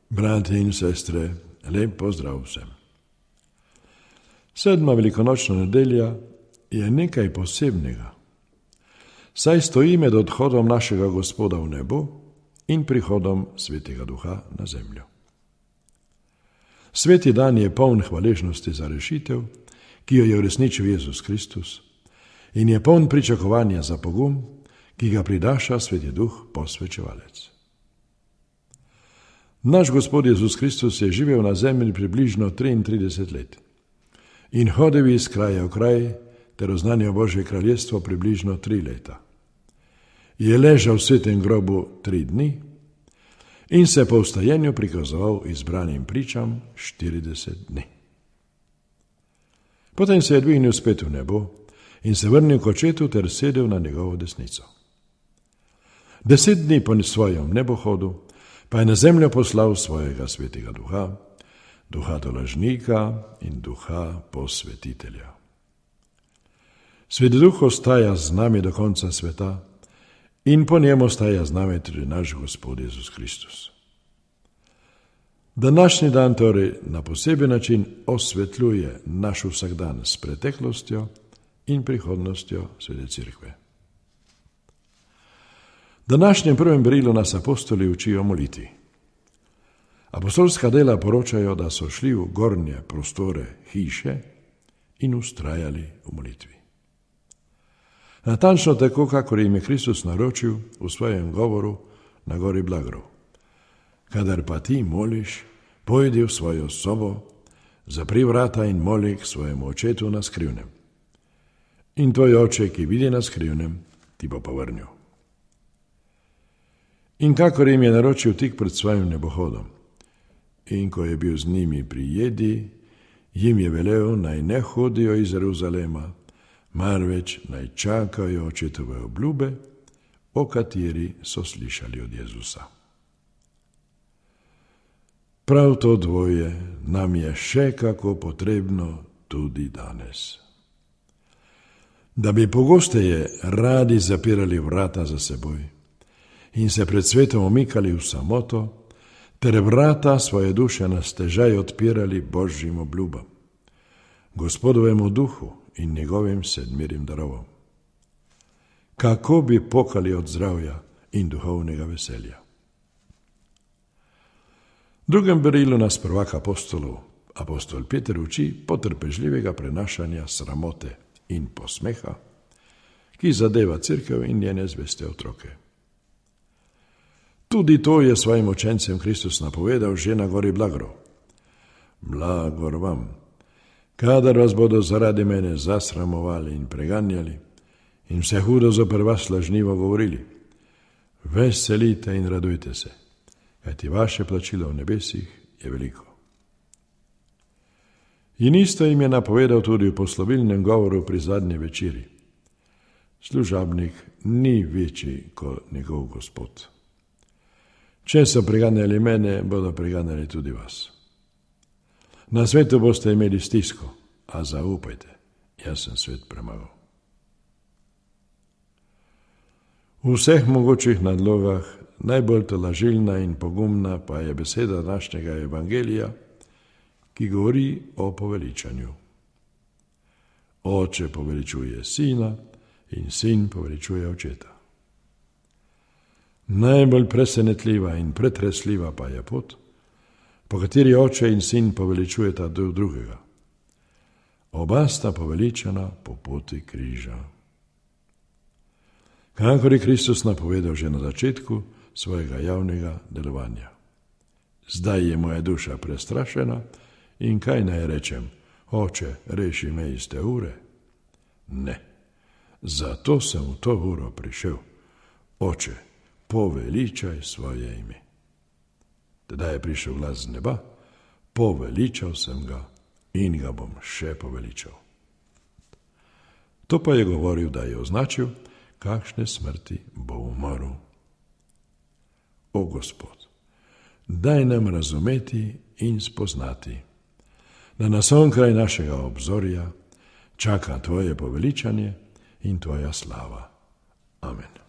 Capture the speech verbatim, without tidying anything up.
Brati in sestre, lep pozdrav vsem. Sedma velikonočna nedelja je nekaj posebnega, saj stoji med odhodom našega Gospoda v nebo in prihodom Svetega Duha na zemljo. Sveti dan je poln hvaležnosti za rešitev, ki jo je uresničil Jezus Kristus, in je poln pričakovanja za pogum, ki ga pridaša Sveti Duh posvečevalec. Naš Gospod Jezus Kristus je živel na zemlji približno triintrideset let in hodil iz kraja v kraj ter oznanjal Božje kraljestvo približno tri leta. Je ležal v svetem grobu tri dni in se po vstajenju prikazoval izbranim pričam štirideset dni. Potem se je dvignil spet v nebo in se vrnil k Očetu ter sedel na njegovo desnico. Deset dni po svojem nebohodu pa je na zemljo poslal svojega Svetega Duha, Duha tolažnika in Duha posvetitelja. Sveti Duh ostaja z nami do konca sveta in po njem ostaja z nami tudi naš Gospod Jezus Kristus. Današnji dan torej na poseben način osvetljuje naš vsakdan s preteklostjo in prihodnostjo Svete Cerkve. V današnjem prvem berilu nas apostoli učijo moliti. Apostolska dela poročajo, da so šli v gornje prostore hiše in ustrajali v molitvi. Natančno tako, kakor jim je Kristus naročil v svojem govoru na gori Blagrov. Kadar pa ti moliš, pojdi v svojo sobo, zapri vrata in moli k svojemu Očetu na skrivnem. In tvoj Oče, ki vidi na skrivnem, ti bo povrnil. In kakor jim je naročil tik pred svojim nebohodom, in ko je bil z njimi pri jedi, jim je velel, naj ne hodijo iz Jeruzalema, marveč naj čakajo Očetove obljube, o kateri so slišali od Jezusa. Prav to dvoje nam je še kako potrebno tudi danes. Da bi pogosteje radi zapirali vrata za seboj in se pred svetom omikali v samoto, ter vrata svoje duše na stežaj odpirali Božjim obljubam, Gospodovemu duhu in njegovim sedmirim darovom. Kako bi pokali od zdravja in duhovnega veselja. V drugem berilu nas prvak apostolov, apostol Peter, uči potrpežljivega prenašanja sramote in posmeha, ki zadeva cerkev in njene zveste otroke. Tudi to je svojim učencem Kristus napovedal že na gori Blagrov. Blagor vam, kadar vas bodo zaradi mene zasramovali in preganjali in vse hudo zoper vas lažnivo govorili. Veselite in radujte se, kajti vaše plačilo v nebesih je veliko. In isto jim je napovedal tudi v poslovilnem govoru pri zadnji večeri. Služabnik ni večji kot njegov Gospod. Če so preganjali mene, bodo preganjali tudi vas. Na svetu boste imeli stisko, a zaupajte, jaz sem svet premagal. V vseh mogočih nadlogah najbolj tolažilna in pogumna pa je beseda današnjega evangelija, ki govori o poveličanju. Oče poveličuje sina in sin poveličuje očeta. Najbolj presenetljiva in pretresljiva pa je pot, po kateri oče in sin poveličujeta drug drugega. Oba sta poveličana po poti križa. Kakor je Kristus napovedal že na začetku svojega javnega delovanja. Zdaj je moja duša prestrašena in kaj naj rečem? Oče, reši me iz te ure? Ne, zato sem v to uro prišel. Oče, poveličaj svoje ime. Tedaj je prišel glas z neba, poveličal sem ga in ga bom še poveličal. To pa je govoril, da je označil, kakšne smrti bo umrl. O Gospod, daj nam razumeti in spoznati, da nas onkraj našega obzorja čaka tvoje poveličanje in tvoja slava. Amen.